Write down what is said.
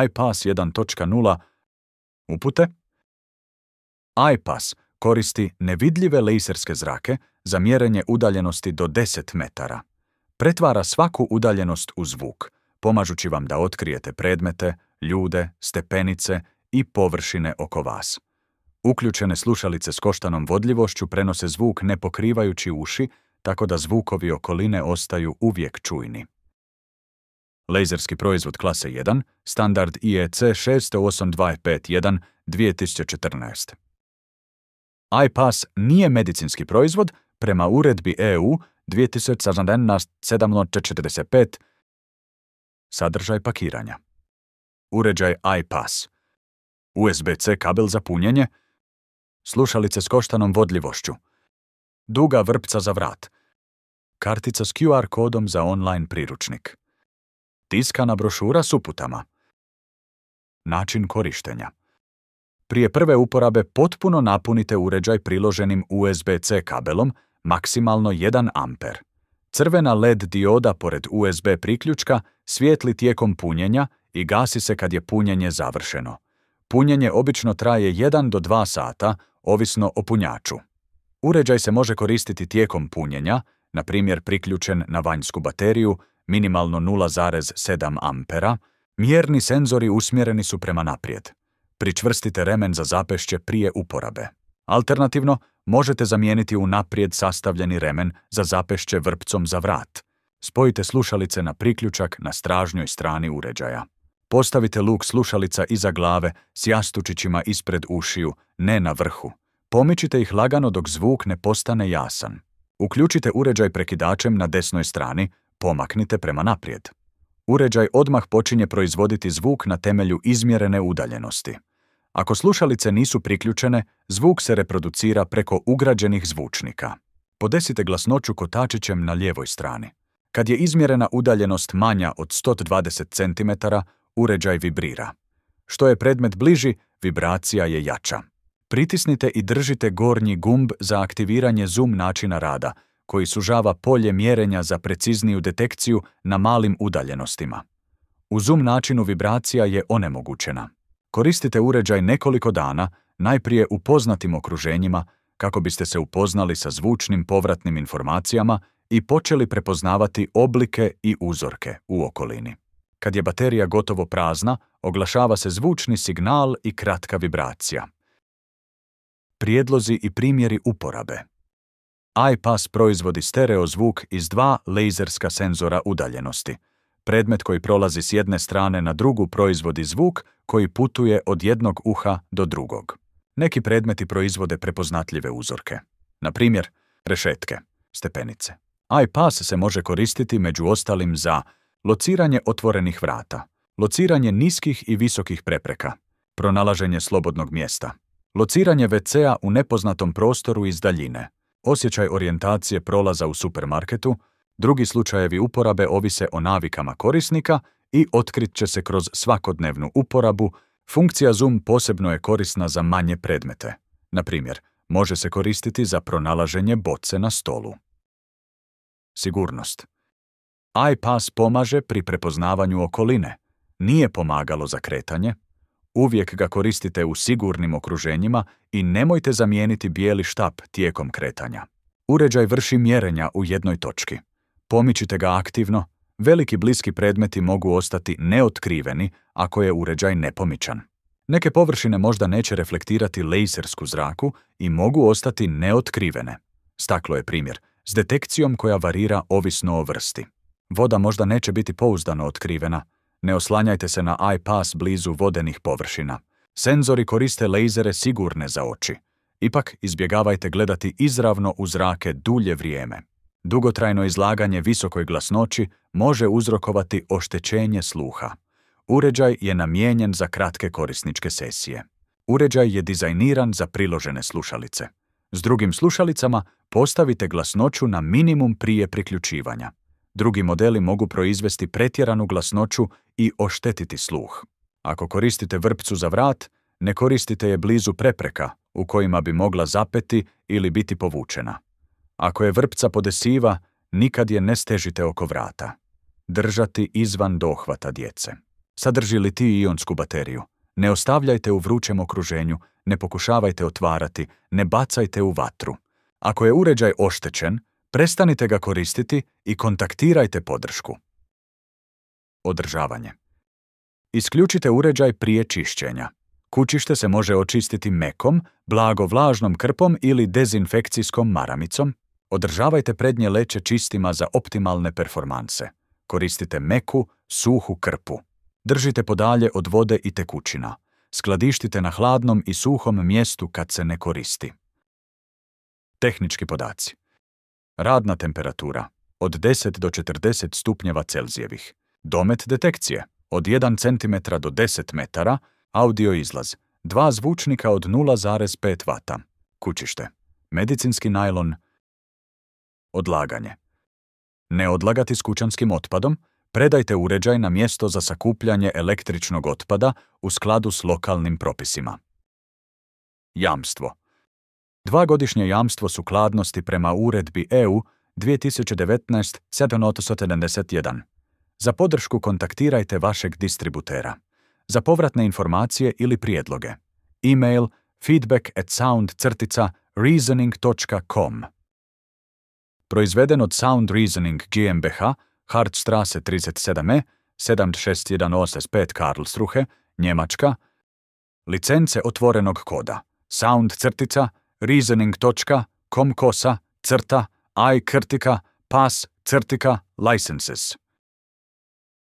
iPass 1.0 upute. iPass koristi nevidljive laserske zrake za mjerenje udaljenosti do 10 metara. Pretvara svaku udaljenost u zvuk, pomažući vam da otkrijete predmete, ljude, stepenice i površine oko vas. Uključene slušalice s koštanom vodljivošću prenose zvuk ne pokrivajući uši, tako da zvukovi okoline ostaju uvijek čujni. Laserski proizvod klase 1, standard IEC 68251 2014. iPass nije medicinski proizvod prema uredbi EU 2017/745. Sadržaj pakiranja. Uređaj iPass. USB-C kabel za punjenje. Slušalice s koštanom vodljivošću. Duga vrpca za vrat. Kartica s QR kodom za online priručnik. Tiskana brošura s uputama. Način korištenja. Prije prve uporabe potpuno napunite uređaj priloženim USB-C kabelom, maksimalno 1 amper. Crvena LED dioda pored USB priključka svijetli tijekom punjenja i gasi se kad je punjenje završeno. Punjenje obično traje 1 do 2 sata, ovisno o punjaču. Uređaj se može koristiti tijekom punjenja, na primjer priključen na vanjsku bateriju, minimalno 0,7 ampera. Mjerni senzori usmjereni su prema naprijed. Pričvrstite remen za zapešće prije uporabe. Alternativno, možete zamijeniti unaprijed sastavljeni remen za zapešće vrpcom za vrat. Spojite slušalice na priključak na stražnjoj strani uređaja. Postavite luk slušalica iza glave s jastučićima ispred ušiju, ne na vrhu. Pomičite ih lagano dok zvuk ne postane jasan. Uključite uređaj prekidačem na desnoj strani, pomaknite prema naprijed. Uređaj odmah počinje proizvoditi zvuk na temelju izmjerene udaljenosti. Ako slušalice nisu priključene, zvuk se reproducira preko ugrađenih zvučnika. Podesite glasnoću kotačićem na lijevoj strani. Kad je izmjerena udaljenost manja od 120 cm, uređaj vibrira. Što je predmet bliži, vibracija je jača. Pritisnite i držite gornji gumb za aktiviranje zoom načina rada, koji sužava polje mjerenja za precizniju detekciju na malim udaljenostima. U zoom načinu vibracija je onemogućena. Koristite uređaj nekoliko dana, najprije u poznatim okruženjima, kako biste se upoznali sa zvučnim povratnim informacijama i počeli prepoznavati oblike i uzorke u okolini. Kad je baterija gotovo prazna, oglašava se zvučni signal i kratka vibracija. Prijedlozi i primjeri uporabe. iPass proizvodi stereo zvuk iz 2 laserska senzora udaljenosti. Predmet koji prolazi s jedne strane na drugu proizvodi zvuk koji putuje od jednog uha do drugog. Neki predmeti proizvode prepoznatljive uzorke. Na primjer, rešetke, stepenice. iPass se može koristiti među ostalim za lociranje otvorenih vrata, lociranje niskih i visokih prepreka, pronalaženje slobodnog mjesta, lociranje WC-a u nepoznatom prostoru iz daljine, osjećaj orijentacije prolaza u supermarketu. Drugi slučajevi uporabe ovise o navikama korisnika i otkrit će se kroz svakodnevnu uporabu. Funkcija zoom posebno je korisna za manje predmete. Na primjer, može se koristiti za pronalaženje boce na stolu. Sigurnost. iPass pomaže pri prepoznavanju okoline. Nije pomagalo za kretanje. Uvijek ga koristite u sigurnim okruženjima i nemojte zamijeniti bijeli štap tijekom kretanja. Uređaj vrši mjerenja u jednoj točki. Pomičite ga aktivno. Veliki bliski predmeti mogu ostati neotkriveni ako je uređaj nepomičan. Neke površine možda neće reflektirati lasersku zraku i mogu ostati neotkrivene. Staklo je primjer, s detekcijom koja varira ovisno o vrsti. Voda možda neće biti pouzdano otkrivena. Ne oslanjajte se na iPass blizu vodenih površina. Senzori koriste lejzere sigurne za oči. Ipak izbjegavajte gledati izravno u zrake dulje vrijeme. Dugotrajno izlaganje visokoj glasnoći može uzrokovati oštećenje sluha. Uređaj je namijenjen za kratke korisničke sesije. Uređaj je dizajniran za priložene slušalice. S drugim slušalicama postavite glasnoću na minimum prije priključivanja. Drugi modeli mogu proizvesti pretjeranu glasnoću i oštetiti sluh. Ako koristite vrpcu za vrat, ne koristite je blizu prepreka u kojima bi mogla zapeti ili biti povučena. Ako je vrpca podesiva, nikad je ne stežite oko vrata. Držati izvan dohvata djece. Sadrži litij-ionsku bateriju. Ne ostavljajte u vrućem okruženju, ne pokušavajte otvarati, ne bacajte u vatru. Ako je uređaj oštećen, prestanite ga koristiti i kontaktirajte podršku. Održavanje. Isključite uređaj prije čišćenja. Kućište se može očistiti mekom, blago vlažnom krpom ili dezinfekcijskom maramicom. Održavajte prednje leće čistima za optimalne performanse. Koristite meku, suhu krpu. Držite podalje od vode i tekućina. Skladištite na hladnom i suhom mjestu kad se ne koristi. Tehnički podaci. Radna temperatura od 10 do 40 stupnjeva Celzijevih. Domet detekcije od 1 cm do 10 metara. Audio izlaz 2 zvučnika od 0,5 W. Kućište. Medicinski najlon. Odlaganje. Ne odlagati s kućanskim otpadom. Predajte uređaj na mjesto za sakupljanje električnog otpada u skladu s lokalnim propisima. Jamstvo. 2-godišnje jamstvo sukladnosti prema uredbi EU 2019/771. Za podršku kontaktirajte vašeg distributera. Za povratne informacije ili prijedloge. E-mail feedback@sound-reasoning.com. Proizveden od Sound Reasoning GmbH, Hartstrasse 37e, 7618 Karlsruhe, Njemačka. Licence otvorenog koda. sound-reasoning.com/i-pas-licenses.